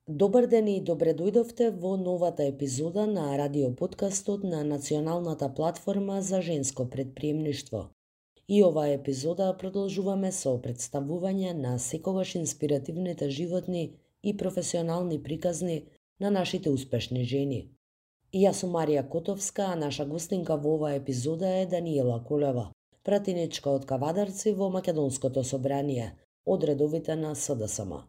Добар ден и добре дојдовте во новата епизода на радиоподкастот на Националната платформа за женско предприемништво. И оваа епизода продолжуваме со представување на секогаш инспиративните животни и професионални приказни на нашите успешни жени. И јас сум Марија Котовска, а наша гостинка во оваа епизода е Даниела Колева, пратеничка од Кавадарци во Македонското собрание, од редовите на СДСМ.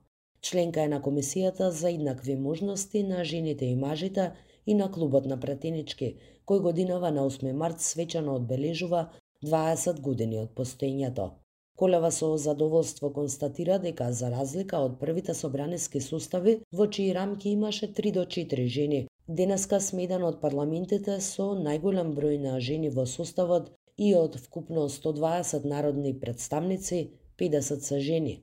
Членка е на Комисијата за еднакви можности на жените и мажите и на Клубот на пратенички, кој годинава на 8 март свечано одбележува 20 години од постоењето. Колева со задоволство констатира дека за разлика од првите собраниски сустави, во чии рамки имаше 3 до 4 жени, денеска сме еден од парламентите со најголем број на жени во составот и од вкупно 120 народни представници, 50 се жени.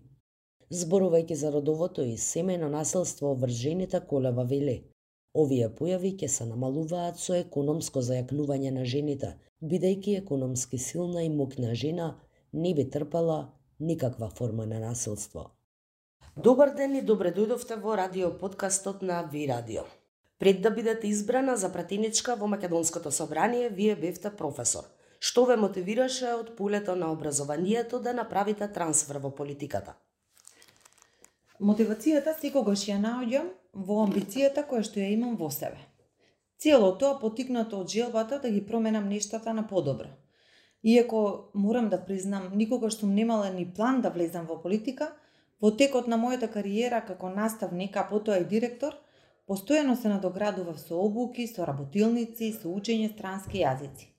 Зборувајќи за родовото и семејно насилство врз жените, Колева вели: овие појави ќе се намалуваат со економско зајакнување на жените, бидејќи економски силна и моќна жена не би трпела никаква форма на насилство. Добар ден и добре дојдовте во радиоподкастот на Ви Радио. Пред да бидете избрана за пратеничка во Македонското собрание, вие бевте професор. Што ве мотивираше од полето на образованието да направите трансфер во политиката? Мотивацијата секогаш ја наоѓам во амбицијата која што ја имам во себе. Цело тоа потикнато од желбата да ги променам нештата на подобро. Иако морам да признам, никогаш сум немала ни план да влезам во политика, во текот на мојата кариера како наставник, а потоа и директор, постојано се надоградував со обуки, со работилници, со учење странски јазици.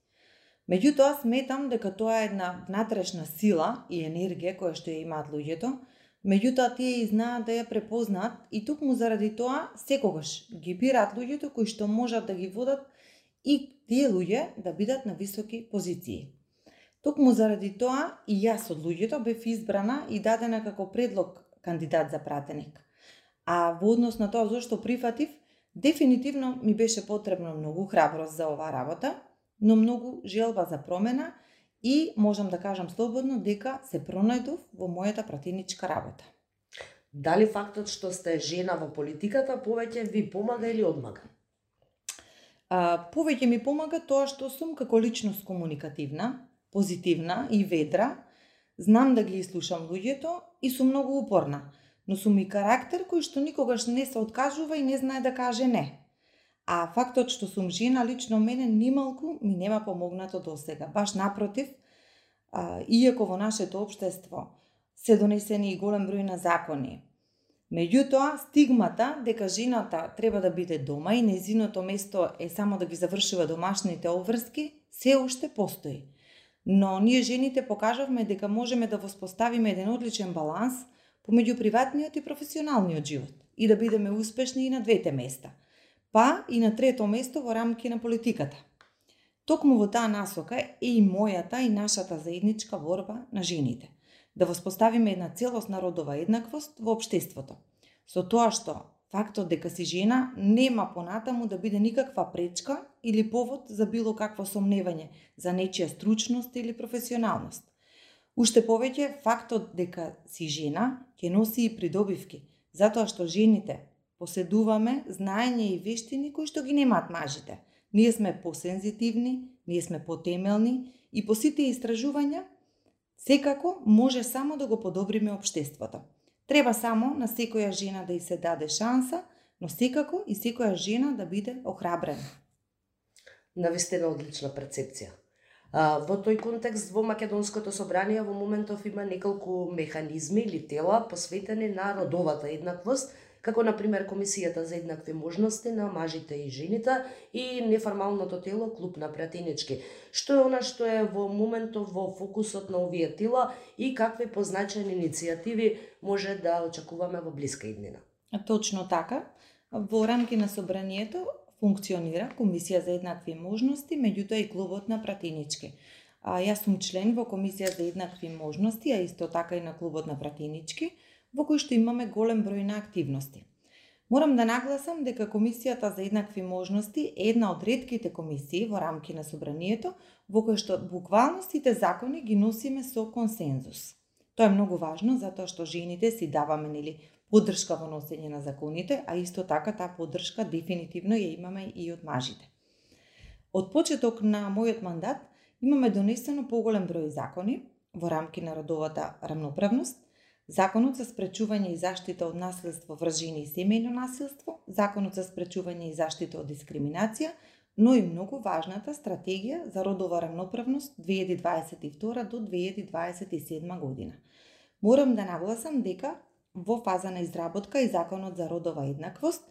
Меѓутоа, сметам дека тоа е една внатрешна сила и енергија која што ја имаат луѓето, меѓутоа тие и знаат да ја препознаат и токму заради тоа секогаш ги бираат луѓето кои што можат да ги водат и тие луѓе да бидат на високи позиции. Токму заради тоа и јас од луѓето бев избрана и дадена како предлог кандидат за пратеник. А во однос на тоа зошто прифатив, дефинитивно ми беше потребно многу храброст за оваа работа, но многу желба за промена и можам да кажам слободно дека се пронајдов во мојата пратеничка работа. Дали фактот што сте жена во политиката повеќе ви помага или одмага? Повеќе ми помага тоа што сум како личност комуникативна, позитивна и ведра, знам да ги слушам луѓето и сум многу упорна, но сум и карактер кој што никогаш не се откажува и не знае да каже не. А фактот што сум жена лично мене нималку ми нема помогнато досега. Баш напротив, иако во нашето општество се донесени и голем број на закони, меѓутоа стигмата дека жената треба да биде дома и нејзиното место е само да ги завршува домашните обврски, се уште постои. Но ние жените покажавме дека можеме да воспоставиме еден одличен баланс помеѓу приватниот и професионалниот живот и да бидеме успешни и на двете места, па и на трето место во рамки на политиката. Токму во таа насока е и мојата и нашата заедничка борба на жените. Да воспоставиме една целосна родова еднаквост во општеството. Со тоа што фактот дека си жена нема понатаму да биде никаква пречка или повод за било какво сомневање за нечија стручност или професионалност. Уште повеќе, фактот дека си жена ќе носи и придобивки, затоа што жените поседуваме знаење и вештини кои што ги немаат мажите. Ние сме посензитивни, ние сме потемелни и по сите истражувања секако може само да го подобриме општеството. Треба само на секоја жена да ѝ се даде шанса, но секако и секоја жена да биде охрабрена. Навистина одлична перцепција. Во тој контекст во Македонското собрание во моментов има неколку механизми или тела посветени на родовата еднаквост, како например Комисијата за еднакви можности на мажите и жените и неформалното тело Клуб на пратенички. Што е она што е во моментов во фокусот на овие тела и какви позначени иницијативи може да очекуваме во блиска иднина? Точно така. Во рамки на собранието функционира Комисија за еднакви можности, меѓутоа и Клубот на пратенички. Јас сум член во Комисија за еднакви можности, а исто така и на Клубот на пратенички, во кој што имаме голем број на активности. Морам да нагласам дека Комисијата за еднакви можности е една од ретките комисии во рамки на собранието во кој што буквално сите закони ги носиме со консензус. Тоа е многу важно затоа што жените си даваме поддршка во носење на законите, а исто така таа поддршка дефинитивно ја имаме и од мажите. Од почеток на мојот мандат имаме донесено поголем број закони во рамки на родовата рамноправност, Законот за спречување и заштита од насилство врз жени и семејно насилство, Законот за спречување и заштита од дискриминација, но и многу важната стратегија за родова рамноправност 2022 до 2027 година. Морам да нагласам дека во фаза на изработка и Законот за родова еднаквост,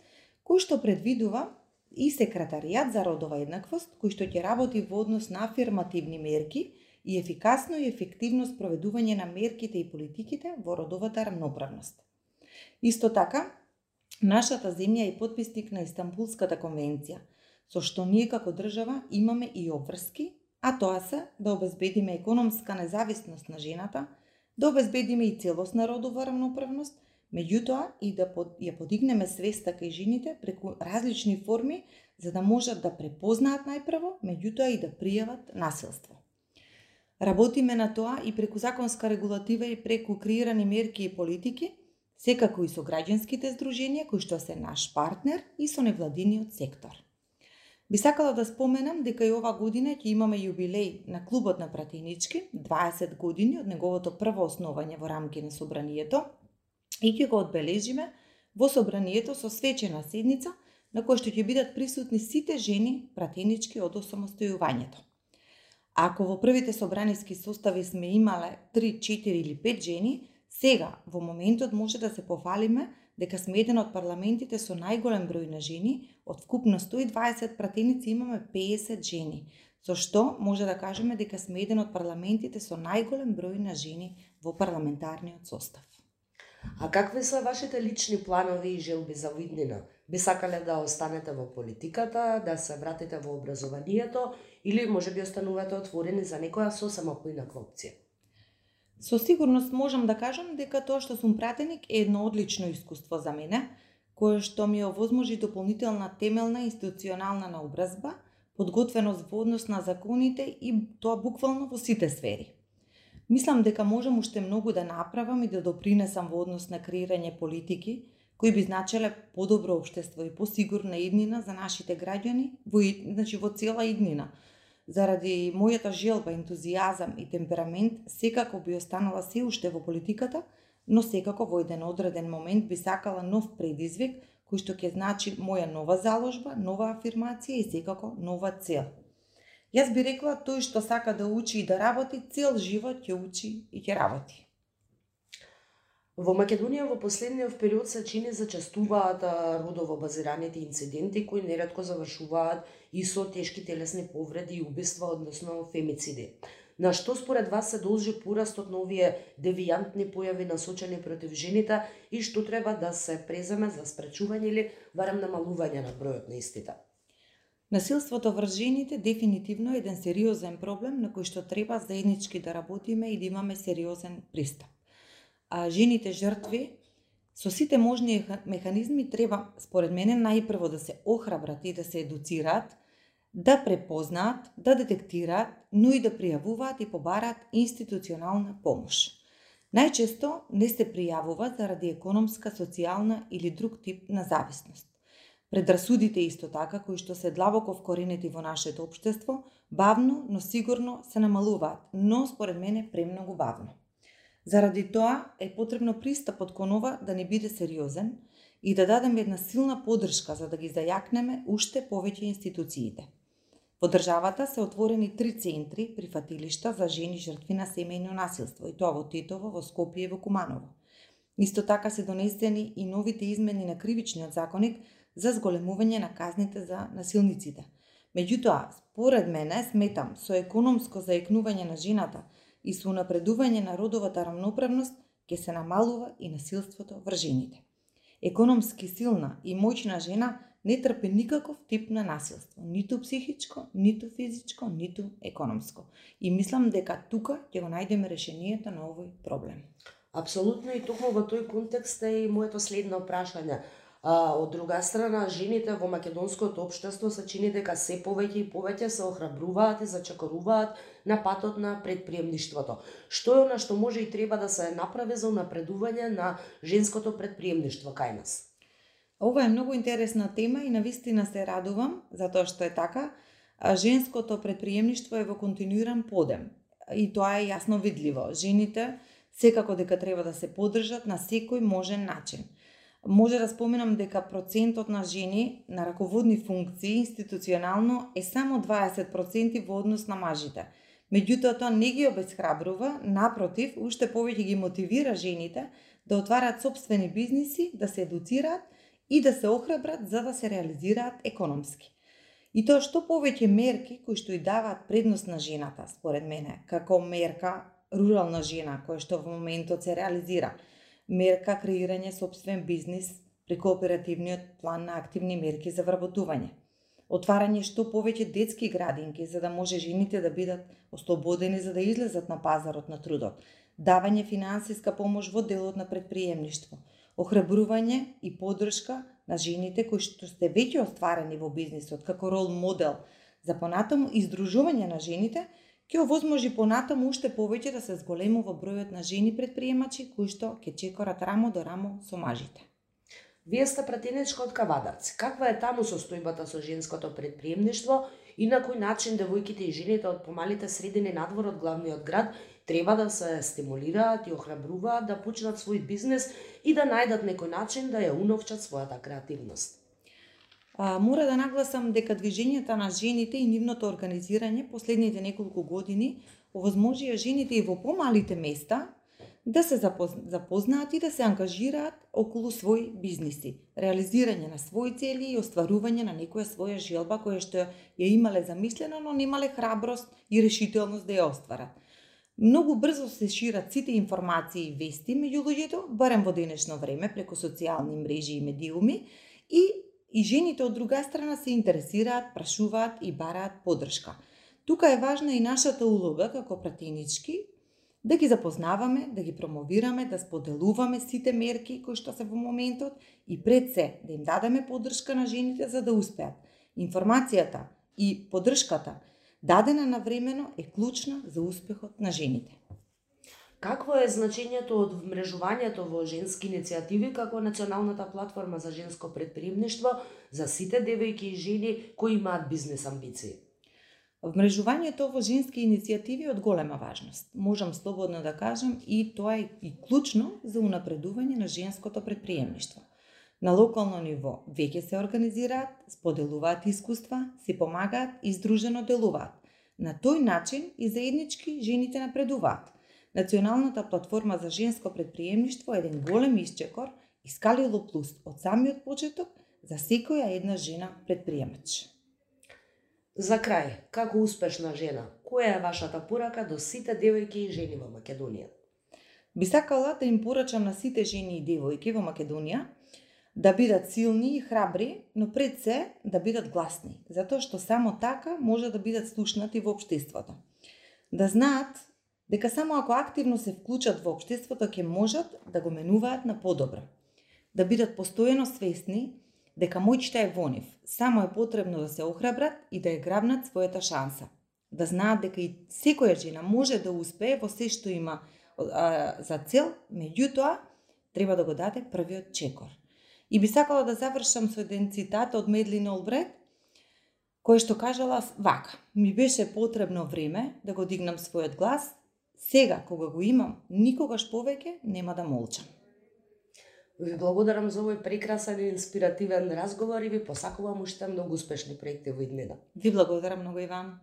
кој што предвидува и секретаријат за родова еднаквост, кој што ќе работи во однос на афирмативни мерки и ефикасно и ефективно спроведување на мерките и политиките во родовата рамноправност. Исто така, нашата земја е потписник на Истанбулската конвенција, со што ние како држава имаме и обврски, а тоа се да обезбедиме економска независност на жената, да обезбедиме и целосна родова рамноправност, меѓутоа и да ја подигнеме свеста кај жените преку различни форми за да можат да препознаат најпрво, меѓутоа и да пријават насилство. Работиме на тоа и преку законска регулатива и преку креирани мерки и политики, секако и со граѓанските здруженија кои што се наш партнер и со невладиниот сектор. Би сакала да споменам дека и ова година ќе имаме јубилеј на Клубот на пратенички, 20 години од неговото прво основање во рамки на собранието и ќе го одбележиме во собранието со свечена седница на која што ќе бидат присутни сите жени пратенички од осамостојувањето. Ако во првите собраниски состави сме имале 3, 4 или 5 жени, сега во моментот може да се пофалиме дека сме еден од парламентите со најголем број на жени, од вкупно 120 пратеници имаме 50 жени, со што може да кажеме дека сме еден од парламентите со најголем број на жени во парламентарниот состав. А какви се вашите лични планови и желби за виднина? Би сакале да останете во политиката, да се вратите во образованието или можеби останувате отворени за некоја сосема поинаква опција? Со сигурност можам да кажам дека тоа што сум пратеник е едно одлично искуство за мене, кое што ми овозможи дополнителна темелна институционална наобразба, подготвеност во однос на законите и тоа буквално во сите сфери. Мислам дека можам уште многу да направам и да допринесам во однос на креирање политики кои би значеле подобро општество и посигурна иднина за нашите граѓани во цела иднина. Заради мојата желба, ентузијазам и темперамент, секако би останала се уште во политиката, но секако во еден одреден момент би сакала нов предизвик, кој што ќе значи моја нова заложба, нова афирмација и секако нова цел. Јас би рекла, тој што сака да учи и да работи, цел живот ќе учи и ќе работи. Во Македонија во последниот период се чини зачестуваат родово базираните инциденти кои неретко завршуваат и со тешки телесни повреди и убиства, односно фемициди. На што според вас се должи порастот на овие девијантни појави насочени против жените и што треба да се преземе за спречување или барем намалување на бројот на истите? Насилството врз жените дефинитивно е еден сериозен проблем на кој што треба заеднички да работиме и да имаме сериозен пристап. А жените жртви со сите можни механизми треба, според мене, најпрво да се охрабрат и да се едуцираат, да препознаат, да детектираат, но и да пријавуваат и побараат институционална помош. Најчесто не се пријавува заради економска, социјална или друг тип на зависност. Предрасудите исто така, кои што се длабоко вкоренети во нашето општество, бавно, но сигурно се намалуваат, но според мене премногу бавно. Заради тоа е потребно пристапот кон ова да не биде сериозен и да дадеме една силна поддршка за да ги зајакнеме уште повеќе институциите. Во државата се отворени 3 центри прифатилишта за жени жртви на семејно насилство, и тоа во Тетово, во Скопје и во Куманово. Исто така се донесени и новите измени на кривичниот законник за зголемување на казните за насилниците. Меѓутоа, според мене, сметам, со економско зајакнување на жената и со унапредување на родовата рамноправност ќе се намалува и насилството врз жените. Економски силна и моćна жена не трпи никаков тип на насилство, ниту психичко, ниту физичко, ниту економско. И мислам дека тука ќе го најдеме решението на овој проблем. Апсолутно, и токму во тој контекст е и моето следно прашање. Од друга страна, жените во македонското општество се чини дека се повеќе и повеќе се охрабруваат и зачекоруваат на патот на предприемништвото. Што е она што може и треба да се направи за унапредување на женското предприемништво кај нас? Ова е многу интересна тема и навистина се радувам затоа што е така. Женското предприемништво е во континуиран подем и тоа е јасно видливо. Жените секако дека треба да се поддржат на секој можен начин. Може да споменам дека процентот на жени на раководни функции институционално е само 20% во однос на мажите. Меѓутоа, тоа не ги обесхрабрува, напротив, уште повеќе ги мотивира жените да отварат сопствени бизниси, да се едуцираат и да се охрабрат за да се реализираат економски. И тоа што повеќе мерки кои што и даваат предност на жената, според мене, како мерка рурална жена, која што во моментот се реализира, мерка креирање сопствен бизнис преку оперативниот план на активни мерки за вработување, отварање што повеќе детски градинки за да може жените да бидат ослободени за да излезат на пазарот на трудот, давање финансиска помош во делот на предприемништво, охрабрување и поддршка на жените кои што сте веќе остварени во бизнисот како рол модел за понатаму издружување на жените, ќе овозможи понатаму уште повеќе да се зголемува бројот на жени предприемачи кои што ќе чекорат рамо до рамо со мажите. Вие сте пратеничка од Кавадарци. Каква е таму состојбата со женското предприемништво и на кој начин девојките и жените од помалите средини надвор од главниот град треба да се стимулираат и охрабруваат да почнат свој бизнис и да најдат некој начин да ја уновчат својата креативност? Мора да нагласам дека движењето на жените и нивното организирање последните неколку години овозможија жените и во помалите места да се запознаат и да се ангажираат околу свој бизниси, реализирање на своји цели и остварување на некоја своја желба која што ја имале замислено, но немале храброст и решителност да ја остварат. Многу брзо се шират сите информации и вести меѓу луѓето, барем во денешно време преку социјални мрежи и медиуми, и жените од друга страна се интересираат, прашуваат и бараат поддршка. Тука е важна и нашата улога како пратенички да ги запознаваме, да ги промовираме, да споделуваме сите мерки кои што се во моментот и пред се да им дадеме поддршка на жените за да успеат. Информацијата и поддршката дадена навремено е клучна за успехот на жените. Какво е значењето од вмрежувањето во женски иницијативи како националната платформа за женско предприемништво за сите девојки и жени кои имаат бизнес амбиции? Вмрежувањето во женски иницијативи е од голема важност. Можам слободно да кажам и тоа е и клучно за унапредување на женското предприемништво. На локално ниво веќе се организираат, споделуваат искуства, си помагаат и здружено делуваат. На тој начин и заеднички жените напредуваат. Националната платформа за женско предприемништво е еден голем исчекор и скалило плюс од самиот почеток за секоја една жена предприемач. За крај, како успешна жена, која е вашата порака до сите девојки и жени во Македонија? Би сакала да им порачам на сите жени и девојки во Македонија да бидат силни и храбри, но пред се да бидат гласни, затоа што само така може да бидат слушнати во општеството. Да знаат дека само ако активно се вклучат во општеството ќе можат да го менуваат на подобро. Да бидат постојано свесни дека моќта е во нив, само е потребно да се охрабрат и да ја грабнат својата шанса. Да знаат дека и секоја жена може да успее во се што има за цел, меѓутоа треба да го даде првиот чекор. И би сакала да завршам со еден цитат од Медлин Олбрайт, кој што кажала вака: ми беше потребно време да го дигнам својот глас, сега кога го имам, никогаш повеќе нема да молчам. Ви благодарам за овој прекрасен и инспиративен разговор и ви посакувам уште многу успешни проекти во иднина. Ви благодарам многу и вам.